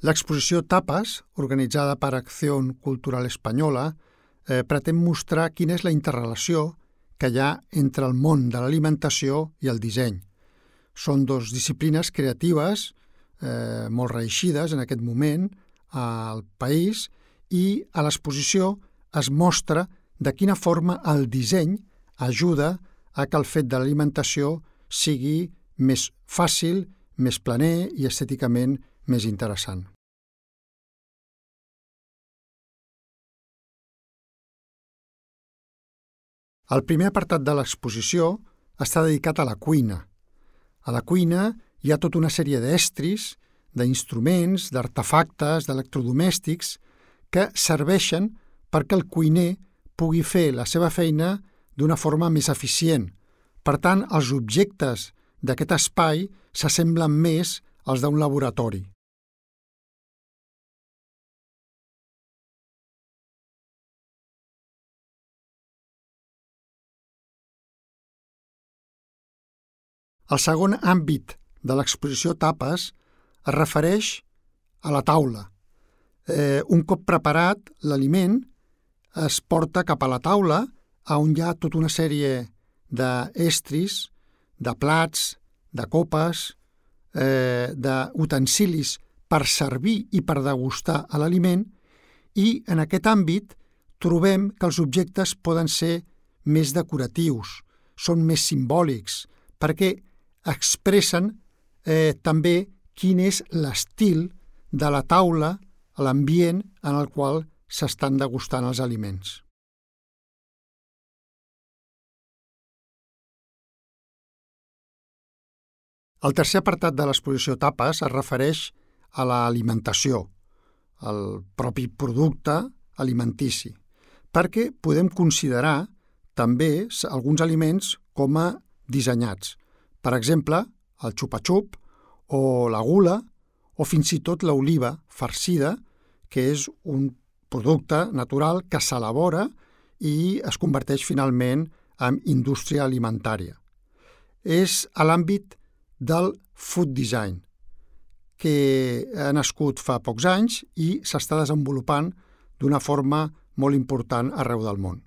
L'exposició Tapas, organitzada per Acción Cultural Espanyola, pretén mostrar quina és la interrelació que hi ha entre el món de l'alimentació i el disseny. Són dues disciplines creatives molt reeixides en aquest moment al país i a l'exposició es mostra de quina forma el disseny ajuda a que el fet de l'alimentació sigui més fàcil, més planer i estèticament més interessant. El primer apartat de l'exposició està dedicat a la cuina. A la cuina hi ha tota una sèrie d'estris, d'instruments, d'artefactes, d'electrodomèstics que serveixen perquè el cuiner pugui fer la seva feina d'una forma més eficient. Per tant, els objectes d'aquest espai s'assemblen més als d'un laboratori. El segon àmbit de l'exposició Tapas es refereix a la taula. Un cop preparat, l'aliment es porta cap a la taula on hi ha tota una sèrie d'estris, de plats, de copes, d'utensilis per servir i per degustar l'aliment i en aquest àmbit trobem que els objectes poden ser més decoratius, són més simbòlics, perquè expressen també quin és l'estil de la taula, l'ambient en el qual s'estan degustant els aliments. El tercer apartat de l'exposició Tapas es refereix a l'alimentació, al propi producte alimentici, perquè podem considerar també alguns aliments com a dissenyats. Per exemple, el xupa-xup o la gula o fins i tot l'oliva farcida, que és un producte natural que s'elabora i es converteix finalment en indústria alimentària. És a l'àmbit del food design, que ha nascut fa pocs anys i s'està desenvolupant d'una forma molt important arreu del món.